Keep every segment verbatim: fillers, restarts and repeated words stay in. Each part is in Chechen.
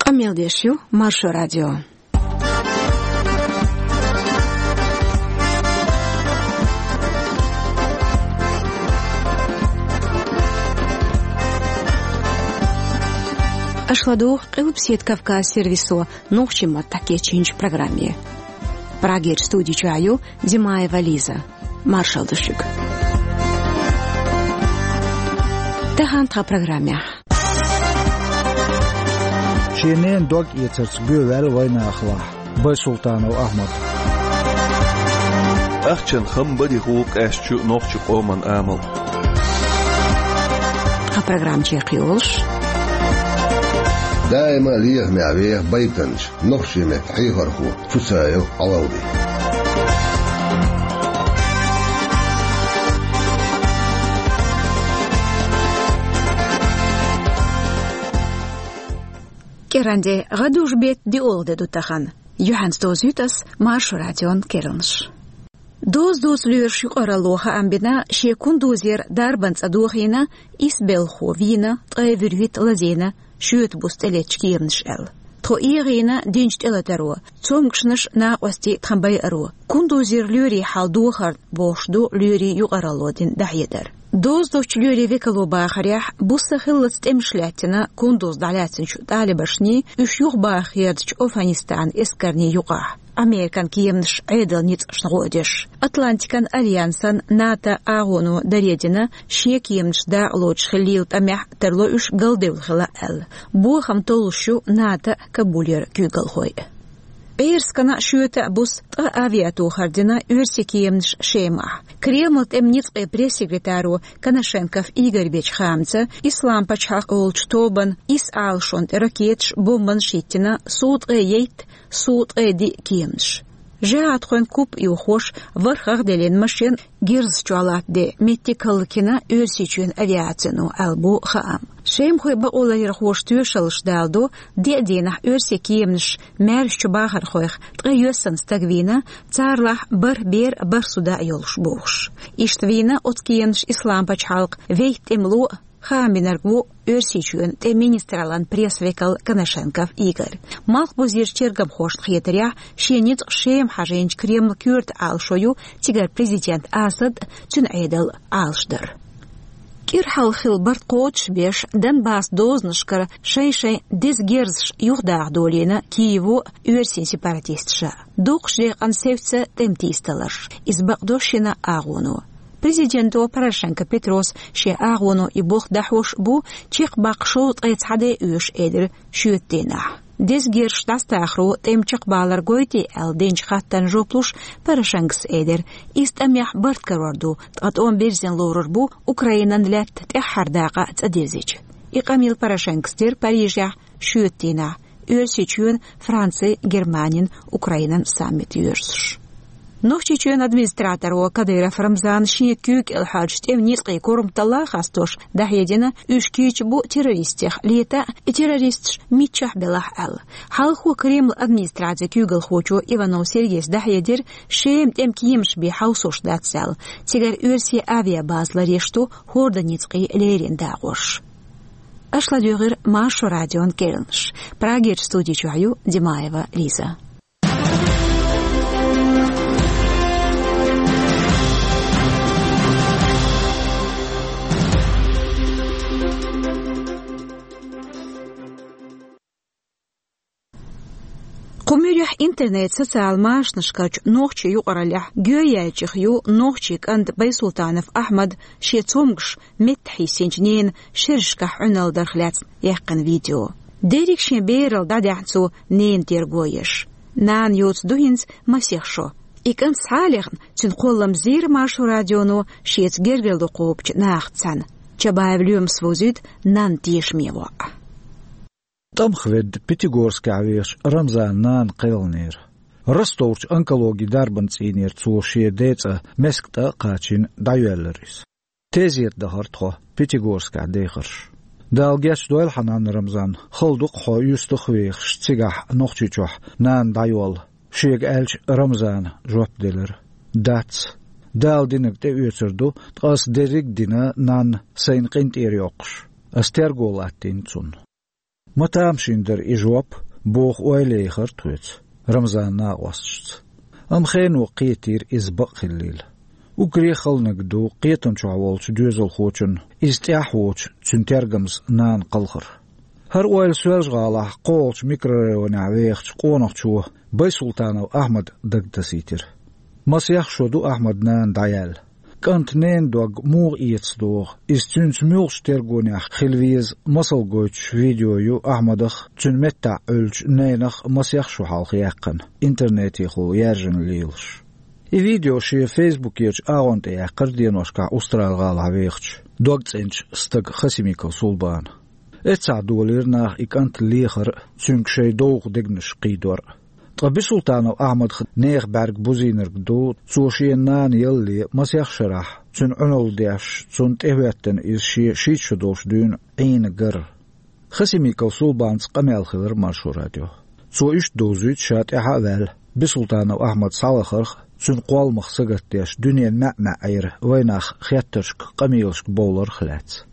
Къамел деш ю Маршо радио. Аша ладугӀу Къилбаседа Кавказ сервисо нохчийн маттахь кечйинчу программе. Прагерчу студи чохь ю Димаева Лиза. Маршалла ду шуьга. Тахана тхан программехь. Шен ненан дог эцарца гӀоьваьлла вайнахалахь Байсултанов Ахьмад. Ахчанан хам бан дихула къаьсташ ю нохчийн къоман амал. Тхан программа чекхйолуш. Даима лехамехь веха байтанча нохчийн меттан хьехархо Цуцаев Ӏалалди. КӀиранде, гӀадужу беттан диъолгӀа де ду тахана. Юьхьанца дозуьйту ас Маршо радион керланаш. Доза доцу лоьраш юкъаралло хаам бина, шен Кундузера дарбан цӀа дохийна, исбелхо вийна, ткъе вуьрхӀитта лазийна, шоьтан буса тӀелеттачу кеманаша аьлла. Тхо эгӀийна динчу тӀелатаро, цомгушнаш, накъостий тхан байаро, Кундузера лоьрийн хьал дохарна бохуш ду лоьрийн юкъаралло дина дӀахьедар. Доза доцчу лоьрийн векало бахарехь, буса хиллалц тӀемаш лаьттина Кундуз дӀалаьцначу талибашний, уьш юхабаха хьежначу Афганистанан эскарний юкъахь, Американ кеманаш Ӏедалан ницкъашна гӀо а деш. Атлантикан альянсан, НАТО агӀоно даре дина шен кеманаш дакъалоцуш хилийла тӀамехь тарло уьш галдевлла хила аьлла. Бохам толлуш ю НАТО а, Кабулера куьйгалхой а. ПӀераскана шоьтан а, буса ткъа авиатохар дина оьрсийн кеманаш Шемахь. Кремлан тӀеман ницкъийн пресс-секретаро Коношенков Игорь бечу хаамца, Ислам пачхьалкх олучу тобанна исс Ӏалашонна тӀе ракеташ, бомбанаш хӀиттина, сув ткъе итт, сув ткъе диъ кеманаш. ЖихӀадхойн куп а юхош, ворхӀ гӀагӀделлин машен герзаш чохь латтаде меттиг хӀаллакйина Оьрсийчоьнан авиацино аьлла бу хаам. Шемахойн бакъоларъярхоша тоьшаллаш даладо, деа дийнахь оьрсийн кеманаш маьршачу бахархойх ткъе йоьссана стаг вийна, царалахь бархӀ бер а, бархӀ зуда а йолуш бохуш. Иштта вийна оцу кеманаша Ислам пачхьалкхан вейтта тӀемало а, хаам бинарг ву Оьрсийчоьнан тӀеман министраллан пресс-векал Коношенков Игорь. Малхбузерчу тергамхошна хетарехь, шен ницкъ Шема хьажийначу Кремлан коьрта Ӏалашо ю цигара президент Асад а, цуьнан Ӏедал а Ӏалашдар. КӀира хьалха хилла барт кхочушбеш, Донбассан дозанашкара шайн-шайн деза герзаш юхадаха долийна Киево а, оьрсийн сепаратисташа а. Дукхачу декъана севцца тӀеман тийсадаларш. Иза бакъдо шина агӀоно. Президенто Порошенко Петрос шен агӀоно и болх дӀахьош а бу, чекхбаккха шовзткъе цхьа де оьшу элира шоьтан дийнахь. Деза герзаш дӀасатахаро тӀем чекхбалар гойтий аьлла динчу хаттарна жоп луш, Порошенкос элира, иза тӀамехь барт карор ду, ткъа тӀом бирзина лорур бу Украинан лаьтта тӀаьххьара дакъа цӀа дирзича. И къамел Порошенкос дира Парижехь шоьтан дийнахь, Оьрсийчоьнан, Францин, Германин, Украинан саммит йоьрзуш. Нохчийчоьнан администраторо Кадыров Рамзана шен куьйга кӀел хьоьжучу тӀеман ницкъийн корматалла а хастош дӀахьедина, уьш кийча бу террористех лета а, и террористаш миччахь белахь а аьлла. Хьалхо Кремлан администрацин куьйгалхочо Иванов Сергейс дӀахьедира, Шема тӀеман кеманаш бен хьовсош дац аьлла, цигара оьрсийн авиабаза ларъеш ду хӀордан ницкъийн леррина дакъош. Аша ладуьйгӀира Маршо радион керланаш. Прагерчу студи чохь ю Димаева Лиза. Кху муьрехь интернет, социал машанашкарчу нохчийн юкъараллехь гӀоьяьллачех ю нохчийн кӀант Байсултанов Ахьмад шен цомгуш метта хьийсинчу ненан шерашкахь Ӏуьналла дарх лаьцна яьккхина видео. Дерриг шен бералла дӀадаьхьна цо ненан терго еш. Нана йоцу ду хӀинца масех шо. И кӀант схьа а лехна, цуьнан кхоллам зийра Маршо радионо шеца гергарло кхобучу нахаца цхьаьна. Чабаев Лоьмас вовзуьйту нанна тешаме воӀ. ТӀамах ведда Пятигорскехь вехачу Рамзанан нана кхелхинера. Ростовчу онкологин дарбан цӀийнера цо шен ден цӀа Мескан тӀа а кхачийна дӀайоьллира иза. Тезета дахара тхо Пятигорскехь дехарш. Дала гечдойла хьан нанна, Рамзан, хала ду-кх хьо юьстах а вехаш цигахь Нохчийчохь нана дӀайолла, шега аьлча, Рамзана жоп делира: «Дац. Дала динарг тӀеоьцур ду, ткъа ас дерриг а дина нанна сайна къинтӀера йоккхуш. Ас терго латтийна цунна». Ма тамашийна дара и жоп, боху ойла яйхира тхоьца Рамзанан накъосташца. Амма хено кхетийра иза бакъ хиллийла. Уггаре а хала наг ду кхетам чохь волчу доьзалхочун, иза тӀаьхьа воцчу цуьнан тергамза нана кхалхар. ХӀара ойла Соьлжа-ГӀалахь кхоалгӀачу микрорайонехь вехачу къонахчо Байсултанов Ахьмада дагатасийтира. Масех шо ду Ахьмадан нана дӀаяьлла. КӀанта ненан дог муха эца догӀу, иза цуьнца муьлхачу тергонехь хила веза масал гойтуш видео ю Ахьмадах, цуьнан меттахь Ӏуьллучу ненах масех шо хьалха яьккхина, интернетехула яьржина лелаш. И видео шен фейсбукерчу агӀонна тӀе яьккхира деношкахь Устрал-ГӀалахь вехачу, догцӀеначу стага Хасимиков Сулбана. Эццахь долийра наха и кӀант лехар а, цуьнга шайн довха дегнаш кхийдор а. Ткъа Бисултанов Ахьмадах нехан бӀаьрг бузийнарг ду, цо шен нана ялале масех шарахь, цуьнан Ӏуналла деш, цунна тӀехӀоьттина иза шен шийтта шо долуш дуьйна Ӏийна гар. Хасимиков Сулбанца къамел хилира Маршо радион. Цо иштта довзуьйту ша тӀаьхьа а ваьлла, Бисултанов Ахьмад схьалахарх а, цуьнан кхолламах сагатдеш дуьненан маьӀ-маьӀӀера вайнах хеттаршка, къамелашка бовларх а лаьцна.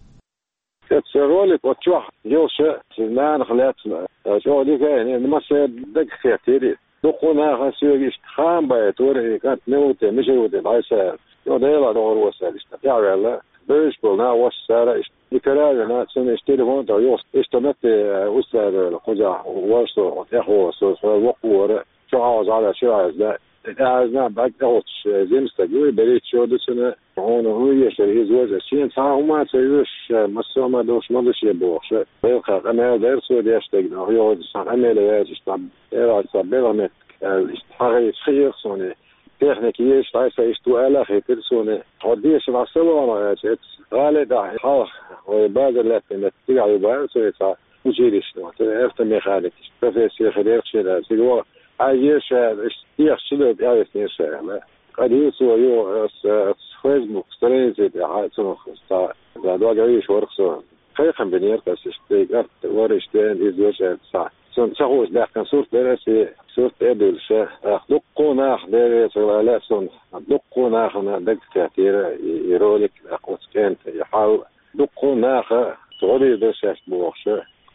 Эцу ролик оцу чохь йолуша, шен нанах лаьцна, чӀогӀа дика а, массеран дагахь хеттийра. Дуккха а наха соьга иштта хаам байтора, и кӀант мила ву те, мичара ву те дӀасаьхьа. Йо, Делан догӀур ву аса аьлла, иштта тӀаьхьаваьлла, бевзаш болу нах вац цара иштта. И кара а вина, цунна иштта телефон тӀехь йохуш, иштта метте, э, устрадевлла, кхузахь вара со, тӀехволу со, со воккха вара, чохь Ӏаза, Ӏаза, шира Ӏаза, тӀе Ӏаза, бӀаьрг тӀехӀуттуш, э, жима стаг ву, берхӀитта шо ду цуьнан, хьуна хӀун езара, иза вожа, шена цхьа а хӀума а ца оьшуш, э, массо а ма долуш, ма ду шен бохуш, э, белхах къамел дара цо деш дерг, нах йохуьйтуш, цхьа къамел а яьлча, иштта, э, цхьа белхан меттиг, э, иштта хьагӀийча хиира суна, техника езаш, дӀасаиштта ву аьлла а хетира суна. Хьо дешан дӀа ца вахана, аьлча, эцу гӀале тӀехь хьалха вай базар лаьттина метта цигахь ю бара, цо и цхьа училищено, цо автомеханик, профессия хир яра шена, цига ваха, хьаьжира ша, иштта техаш чу дара, тӀаьхьависнера ша, аьлла. Къа дийца вай ю, ас, ас Facebook страница тӀехь, цунах цхьа, цхьа дог Ӏийша вара со. Кхайкхам бинера аса, иштта и кӀант вара, иштта веана иза вешан цхьа. Цунна ца хууш даьккхина сурт дара аса, и сурт тӀе а дуьллуш, тӀаккха дуккха а наха, Дела реза хуьлда, аьлла цунна, дуккха а нахана дага кхеттера и, и ролик, тӀаккха оцу кӀентан и хьал. Дуккха а наха гӀо дийр дара шаьш бохуш,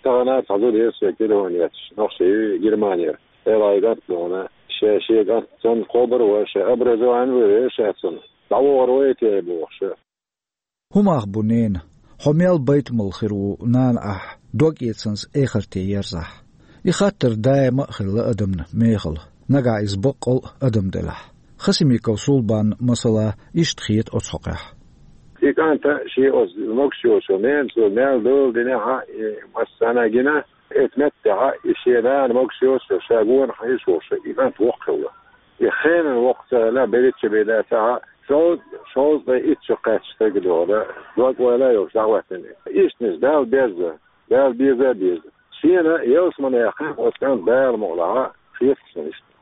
тахана а цхьа зуда яра соьга телефон етташ, нохчи ю Германера. Эла и кӀант а дуьйна, ша шен кӀант санна кхобур а вара, ша образование а вара ша цунна. ДӀавахар вай те бохуш. ХӀун мах бу, нена? Хьо мел байтамалла хир ву, нана ахь, дог-эцанца эхарте ерзахь? И хаттар даима а хилла адамна мехала, нагахь иза баккъал а адам делахь. Хасимиков Сулбанна, масала, иштта хета оцу хьокъехь. И кӀанта шен оцу могуш йолчу ненан цо мел дола динехь а, и массарна а гина, эцу меттехь а, и шен нана могуш йолчу ша гонах Ӏийш волуш, и кӀант воккха хилла. И хенан воккха ца хилла, берхӀитта шо бен дацахь а, шовзткъа, шовзткъе итт шо кхаьчча стаг догӀу, дог-ойла а йолуш дӀахӀоьттина. Иштанаш Далла беза, Далла беза а беза. Шена ялсамане яьккхина оцу кӀанта Дала мукъалахь а хеташ дан иштта.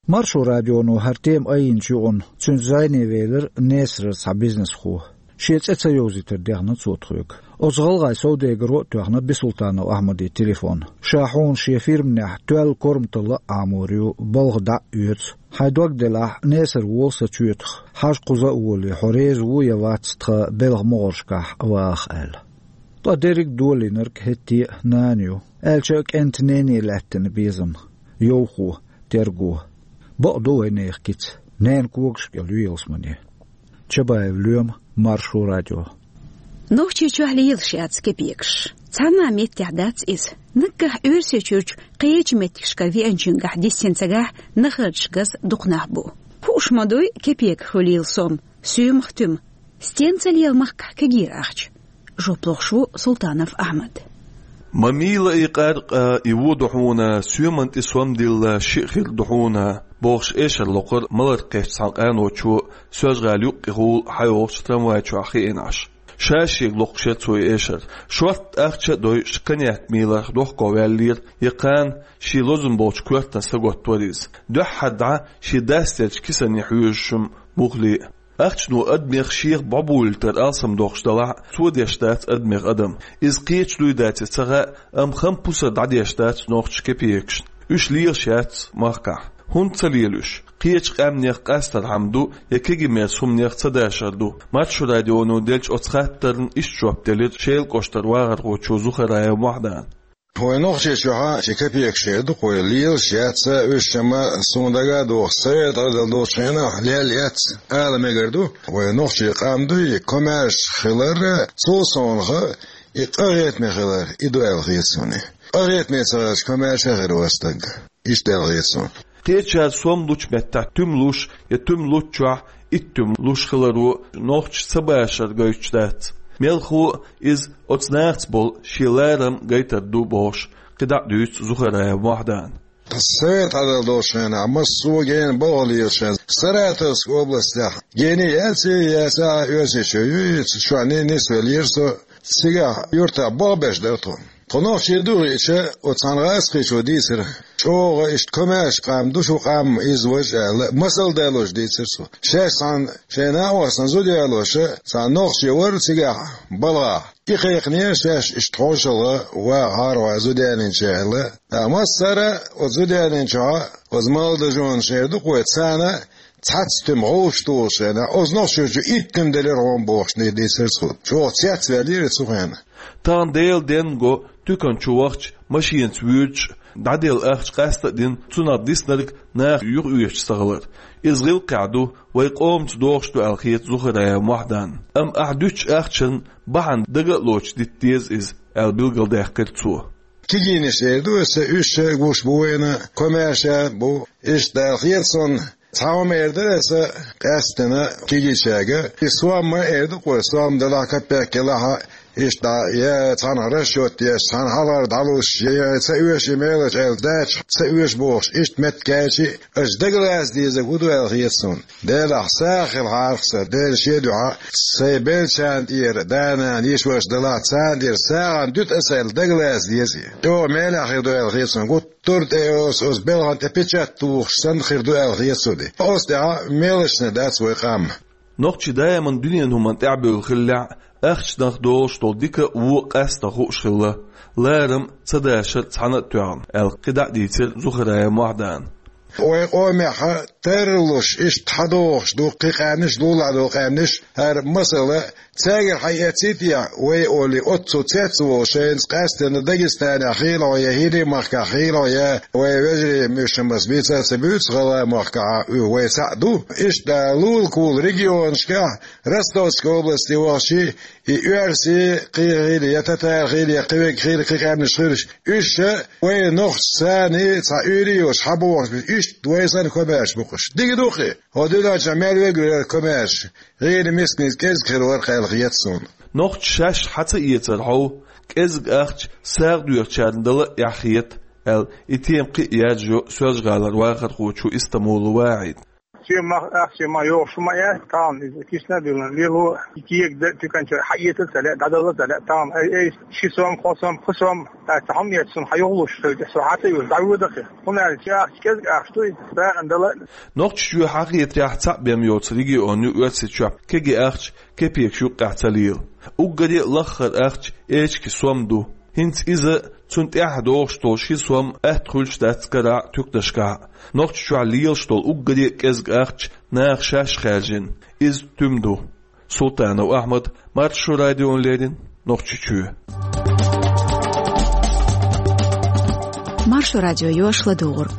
Маршо радионо хӀара тема айинчу юкъана цуьнца зӀене велира Несарара цхьа бизнесхо. Шен цӀе ца йовзийтар дехна цо тхоьга. Оцу гӀалгӀайн совдегаро а тоьхна Бисултанов Ахьмадан телефон. Ша хьуна шен фирманехь тоьлла корматалла а Ӏамор ю, балха дӀа а оьцу. Хьайн дог делахь, Несар вола сан чоьтах, хьажа кхуза а волий, хьо реза ву я вац тхан белхан могӀаршкахь ваха аьлла. Ткъа дерриг а долийнарг хӀетте а нана ю, аьлча а кӀентан нене лаьттина безам, йовхо, терго. Бакъ ду вайнехан кица, ненан когаш кӀел ю ялсамане. Чабаев Лоьма, Маршо радио. Нохчийчохь лелаш яц кепекаш. Цхьана а меттехь дац иза. Наггахь Оьрсийчуьрчу кхечу меттигашкара веанчуьнгахь дисина цигахь нахарчашказ дукха нах бу. Хууш ма дуй кепека хуьлийла сом, соьмах туьма. Стенца лела махкахь кегийра ахча? Жоп лохуш ву Султанов Ахьмад. Ма мийла и къаркъа, и вон ду хьуна, соьман тӀе сом дилла шиъ хир ду хьуна, бохуш эшар локхура малар кхечу цхьана къаночо, Соьлжа-ГӀала юккъехула хьайогӀучу трамвай чохь хиъна Ӏаш. Ша шега локхуш яра цо и эшар. Шортта ахча а дойуш, коньяк мийларх дохко ваьллера, я кхана шен лозун болчу коьртана саготтавора иза. Дуьххьара дӀа шен дас терчу кисане хьоьжуш-м мухле а. Ахчано адамех шех бӀобулийтар алсамдохуш далахь а, цо деш дац адамех адам. Иза кхечу дуй дац ца хаьа, амма хам пусар дӀадеш дац нохчаша кепекашна. Уьш лелаш яц махкахь. ХӀунда ца лела уьш? Кхечу къаьмнех къастархьама ду, я кегий-мерза хӀуманех ца дашар ду? Маршо радионо деллачу оцу хаттарна иштта жоп делира Шелан кӀоштара вахархочо Зухараев Мохьдана. Вай Нохчийчохь а ши капекаш эр ду-кх вай, лелаш яц уьш, ма суна дага а догӀу, Советан Ӏедал долчу хенахь лелла яц ала мегар ду. Вай нохчийн къам дуй, комаьрша хилар, цул совнаха и къахетаме хилар, и ду аьлла хета суна. Къахетаме ца хилча, комаьрша а хир вац стаг. Иштта аьлла хета суна. Кхечара сом лучу меттехь туьма луш я туьма луччохь итт туьма луш хиларо нохчаша ца башар гойтуш дац. Мелхо а иза оцу нахаца болу шен ларам гайтар ду бохуш, кхидӀа а дуьйцу Зухараев Мохьдана. Советан Ӏедал долчу хенахь массо а гена балха лелаш, Саратовская областехь гена яц, яц а Оьрсийчоь юй, чохь нисвеллера со. Цигахь юьртахь болх беш дара тхо. Тхо нохчий ду хиъча, оцу цхьана гӀазкхичо дийцира: «ЧӀогӀа иштта комаьрша къам ду шу къам, иза важа», — аьлла, масал далош дийцира цо. Шаьш цхьана шайн накъостана зуда ялоша цхьана нохчи вара цигахь балхахь. И кхайкхинера шаьш иштта хьошалгӀа ваха хьарван зуда ялийначу аьлла. Ткъа массара оцу зуда ялийначохь оцу малдажонаш эр ду-кх вай, царна цхьацца туьма гӀовш тухуш хенахь, оцу нохчочо итт туьма делира хьуна бохуш, дийцира цо. ЧӀогӀа цецваьллера цу хенахь. Тахана Делан денна го туькан чу вахча, машенаца вуьйцуш, дӀаделла ахча къаста а дина, цунах диснарг наха юхаоьшуш ца хилар. Иза гӀиллакхехь ду, вай къомаца догӀуш ду аьлла хета Зухараев Мохьданна. Амма ахь дуьтучу ахчанна бахьана дага а лоцуш дита деза иза, аьлла билгалдаьккхира цо. Кегийнаш эр ду аса, уьш а гуш бу вайна, комаьрша а бу, иштта аьлла хета суна. Цхьа хӀума эр дара аса къаьсттина кегийчаьрга. И сом ма эр ду-кх вай, сом делахь, капек елахь а, иштта дӀа, я цхьанхьа расчет еш, цхьана хьалхара дӀалуш, я, я ца оьшу и мелаш аьлла, дача ца оьшу бохуш, иштта меттиг кечи, аша дагалаца дезарг хӀун ду аьлла хета суна. Делахь, сагӀа хилахьара аса, Дела шен дуьхьа, сайн беллачарна тӀера, да-нана, йиша-ваша делахь, царна тӀера сагӀана дуьту аса аьлла, дагалаца деза. ЧӀогӀа мелехь хир ду аьлла хета суна. Гуттар а тӀе оцу, оцу белхан тӀе печать тухуш санна хир ду аьлла хета суна. Оцу тӀехь мелашна дац вай къам. Нохчий даиман дуьненан хӀуманна тӀаьхьабевлла хиллехь а, ахчанах долуш долу дика а, вон а къаьсттина хууш хилла, ларам а, ца дашар а цхьаьна а тоьхна, аьлла кхидӀа а дийцира Зухараев Мохьдана. Вай къомехь тарлуш, иштта хьадогӀуш ду кхин къаьмнаш, лулахь долу къаьмнаш, хӀара масала, цаьргара хьаэццийта а, вай олий, оццул цецволу шайца къаьсттина Дагестанехь хилахь я, ХӀирийн махкахь хилахь я, вай вежарий муьшамас бийца а ца буьйцу, гӀалгӀайн махкахь а вай цхьаъ ду. Иштта лулахула регионашкахь, Ростовской области вахчий, и оьрсий кхин хила, я татар хила, я кхин верг хила, кхин къаьмнаш хилаш, уьш а вай нохчашца цхьа уьйр а йолуш хьабогӀуш бу, иштта вай санна комаьрша бу-кх уьш. Дика ду-кх и, хӀокху дуьнен чохь мел верг ву комаьрша, гӀийла мисканца кӀезиг хир вара-кх аьлла хета суна. Нохчаша шаьш хьа ца эцар хьовха, кӀезиг ахча сагӀа доьхучарна дала а эхь хета, аьлла, и тема кхин а яржайо Соьлжа-ГӀалара вахархочо Истамолов ВахӀида. Цо ма, ахча ма йогӀуш ма яц, тахана иза кисна а дуьллина, лело, и кега дан туьканчара хьаэца а ца лаьа, дӀадала а ца лаьа, тахана, ай, ай, ши сом, кхо сом, пхи сом, аса хьуна эцна, хьан юхалуш хилча, со хьан тӀе йолуш, дӀавоьду-кх и. ХӀунда аьлча ахча кӀезиг ахча ду иза, сагӀина дала а. Нохчийчоь хьахетарехь цхьаъ бен йоцу регион ю Оьрсийчохь, кегий ахча кепекаш юккъехь ца лела. Уггаре а лаххара ахча эчигийн сом ду. ХӀинца иза, цунна тӀаьхьа догӀуш долу ши сом атта хуьлуш дац карахь а, туьканашкахь а. Нохчийчохь лелаш долу уггаре а кӀезиг ахча наха шаьш хаьржина. Иза туьма ду. Султанов Ахьмад, Маршо радиона леррина, Нохчийчоь. Маршо радио йоьшу ладугӀург.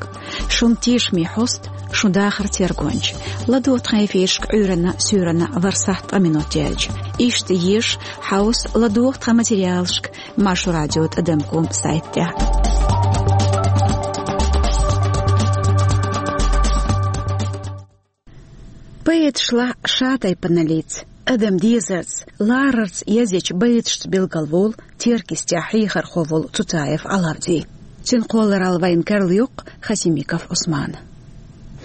Шун тешаме хьоста, шун дахаран тергонча. ЛадогӀа тхан эфирашка Ӏуьйранна, суьйранна ворхӀ сахьт ткъа минот яьлча. Иштта еша, хьовса, ладогӀа тхан материалашка Маршо радио тӀадам ком сайта тӀехь. Поэташлахь ша-тайпаналлица, адам дезарца, ларарца язъечу байташца билгалволу Теркйистехь хьехархо волу Цуцаев Ӏалавди. Цуьнан кхолларалла вайна карладоккху Хасимиков Ӏусмана.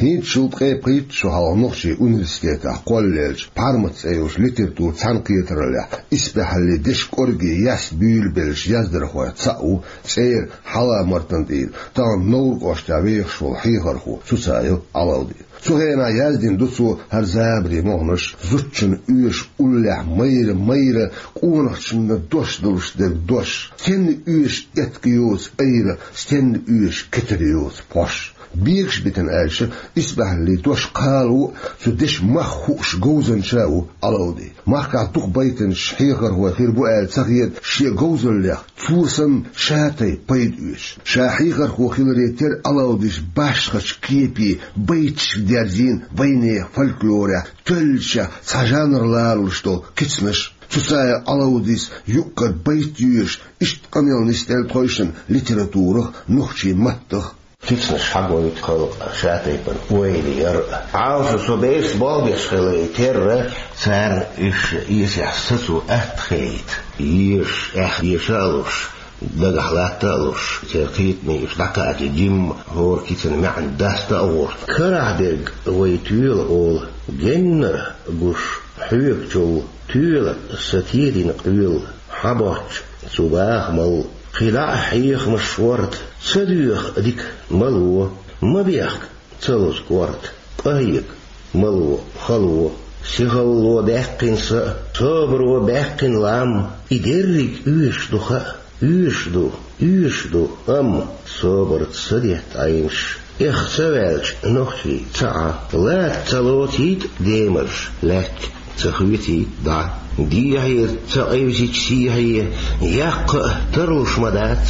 ХӀинцачул ткъе пхийтта шо хьалха нохчийн университетехь кхоллаеллачу Пхьармат цӀе йолчу литературан цхьаьнакхетараллехь исбаьхьаллин дешан кӀорггера яьсса буьйлабеллачу яздархойн цхьаъ ву цӀера Хьалха-Мартан тӀера, тахана Невран кӀоштехь вехаш волу хьехархо Цуцаев Ӏалавди. Цу хенахь яздина ду цо хӀара забарийн мохнаш, зудчунна оьшу уллехь майра-майра, къонахчунна дош долуш дерг дош, стенна оьшу этка йоцу айра, стенна оьшу кетар йоцу пхьош. Бегаш битина аьлча, исбаьхьаллин дош кхалаво а, цу дешан мах хууш говзанча а ву Ӏалавди. Махкахь дукха байтанчаш хьехархой хир бу аьлла ца хета шен говзаллех, цо санна ша тайпа пайда оьцуш. Ша хьехархо хиларе терра Ӏалавдис башхачу кепе байташка дерзийна вайнехан фольклорехь тоьллачех цхьа жанр лоруш долу кицанаш. Цу саьрца Ӏалавдис юккъера байт йоьшуш, иштта къамел нисделла тхойшинна литературах, нохчийн маттах. Кицанаш хьагойту халкъан ша тайпана ойла яр а. Хьалха со бесса болх беш хиларе терра, царна уьш эсехь сацо атта хета. Езаш, эхь, эша а луш, дагахь латта а луш, церан кхетаме уьш дӀакхаьчча, жимма хӀора кицанан маьӀна даста а гӀерта. Карахь дерг вай тоьла олу, геннара гуш хьоьгучул, тоьла сан тедина къоьлла, хьан боцчу цу бахамал. Кхин дӀа а хьехамаш ворта, ца доьху дика мало, ма бехка ца лозу корта, къахьега мало, хало. Сихалло даьккхина са а, собаро баьккхина лам, и дерриг оьшуш ду хаьа, оьшуш ду, оьшуш ду, амма собарца са детта Ӏенаш. Эх, ца ваьлча нохчий ца Ӏа, лаца ца лоцийта демарш лаьтташ. Ца хоьций дӀа. Дехье ца къевсича сехье, яккха а тарлуш ма дац.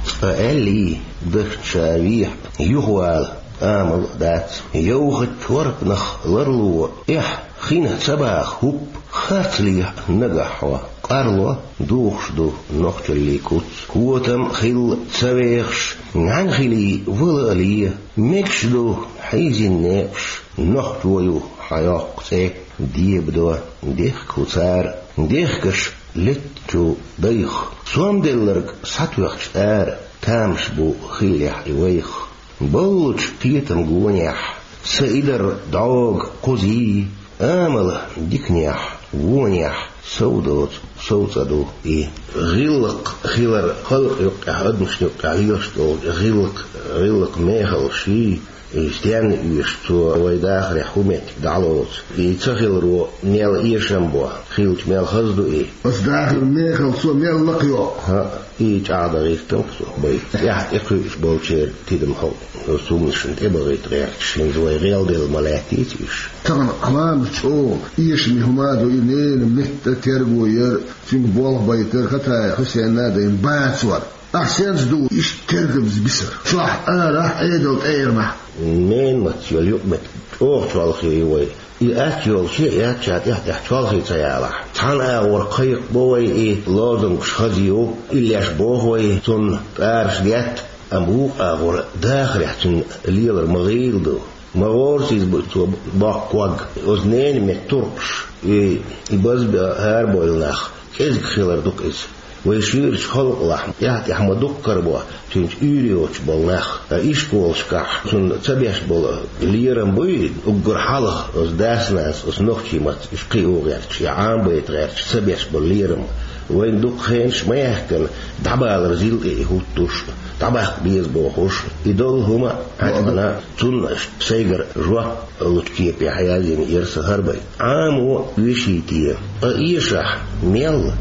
Цкъа аьллий, дахча ша вехьа, юхавала амал а дац. Йовхачу чорпанах ларло, эхь, хин ца баха хӀуппа, харцлехьа нагахь хьо къарло. Духуш ду нохчаллин куц, котам а хилла ца вехаш, нӀаьнхилий вала а ле. Мегаш ду хьийзина некъаш, нохчо ю хьан йоккха цӀе. Дебадо дехка хӀу цара, дехкаш леттачу дайх. Сом делларг схьатоьхча ара, тамаш бу хиллехь и вайх. Боллучу кхетам гонехь, са и дар дӀога кхузий, амала диканехь, вонехь сов доцу, сов цӀа ду и. ГӀиллакх хилар халкъ юккъехь, адамашна юккъехь лелаш долчу гӀиллакх, гӀиллакх мехала ший. И стенна оьшу цо вай дахарехь хӀу меттиг дӀалоцу? И ца хиларо мел эшам бо, хилча мел хаза ду и? Аса дахар мехала цо мел лакхайо. ХӀаъ, и чӀагӀдан гӀиртам-кх со бай. ТӀаьхьа тӀекхуьуш болчеран тидам хьо, оцу хӀуманашна тӀебахийта гӀерташ, хӀинца вай гӀелделла ма лаьттийца уьш. Тахана Ӏаламат чӀогӀа эшаме хӀума а ду и ненан метта терго яр, цуьнга болх байтар, Хатаев Хьусенна а дайна бацор. Ахь сенца ду иштта тергамза бисар? Чохь, арахь, Ӏедал тӀеранахь. Ненан матца йолу юкъаметтиг чӀогӀа чолхе ю вай. И атта йолуш яц ша тӀаьхь-тӀаьхьа чолхе ца ялахь. Цхьана агӀор кхайкхабо вай и, лозунгаш хаза ю, иллеш боху вай цунна, тӀараш детта, амма вукху агӀор дахарехь цуьнан лелар ма гӀийла ду. Ма гӀорасиз бу цо боккху ког. Оцу ненан метта туркхуш, и, и базбан хӀара бойла нах, кӀезиг хилар ду-кх иза. Вай шуьйрачу халкъалахь тӀаьхь-тӀаьхьа ма дуккха карабо цуьнца уьйр йоцуш болу нах. Ткъа ишколашкахь цунна ца беш болу лерам буй, уггар хьалха оцу дас-нанас оцу нохчийн маттаца уьш кхио гӀерташ, я Ӏамабайта гӀерташ ца беш болу лерам. Вайна дукха хенаш ма яьхкина, дӀабалар зил тӀе и хӀуттуш, дӀабаккха беза бохуш, и долу хӀума а хьаьжна, цунна сайгара жоп лучу кепе хьаязйина яра сан хӀара бай. Ӏамо веший те, ткъа эшахь мел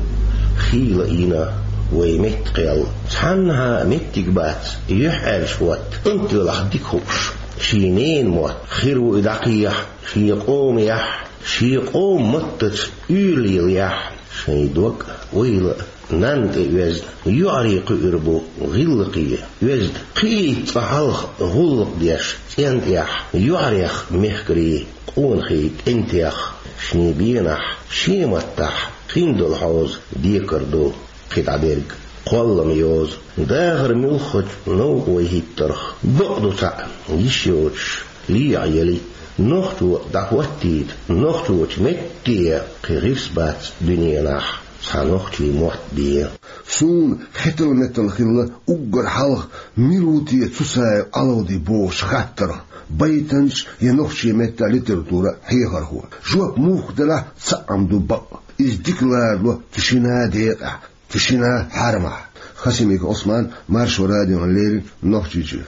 хийла йина вай метта кхел. Цхьаннахьа меттиг бац, юьхьӀаьржа хӀотта, кӀант велахь дика хууш, шен ненан мотт хир ву и дӀакхехьа шен къомехь, шен къоман маттаца уьйр лелаяхь, шайн дог а, ойла а нанна тӀе оьзна, йоӀарий кхуьур бу гӀиллакхе оьзна. Кхиийта цкъа хьалха гӀуллакх деш цӀен тӀехь, йоӀарех мехкарий къонахий кӀентех, шен бенахь, шен маттахь хин долу хьоза декар ду. Кхин дӀа дерг кхоллам йоза, дахар муьлххачу новкъа вай хӀиттарх, бакъ ду цхьаъ йиш йоцуш, лехьа яли. Нохчо дӀахӀоттийта нохчочу метте, кхин гӀирс бац дуьненахь цхьа нохчийн мотт бен. Суна хетал-метал хилла уггар хьалха, мила ву те Цусаев Ӏалавди бохучу хаттарх, байтанча я нохчийн меттан литературан хьехархо. Жоп муха делахь, цхьаъ-м ду бакъ: иза дика ларало цу шина декъехь, цу шина хьарамахь. Хасимиков Ӏусман, Маршо радиона леррина, Нохчийчоь.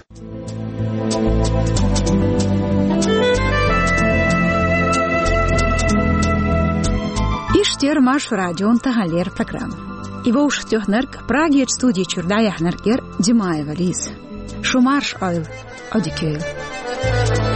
Иштта яра Маршо радион таханлера программа. И вовшахтоьхнарг, Прагерчу студи чуьра дӀаяьхьнарг яра Димаева Лиза. Шу марш, ойл, Ӏодика йойла.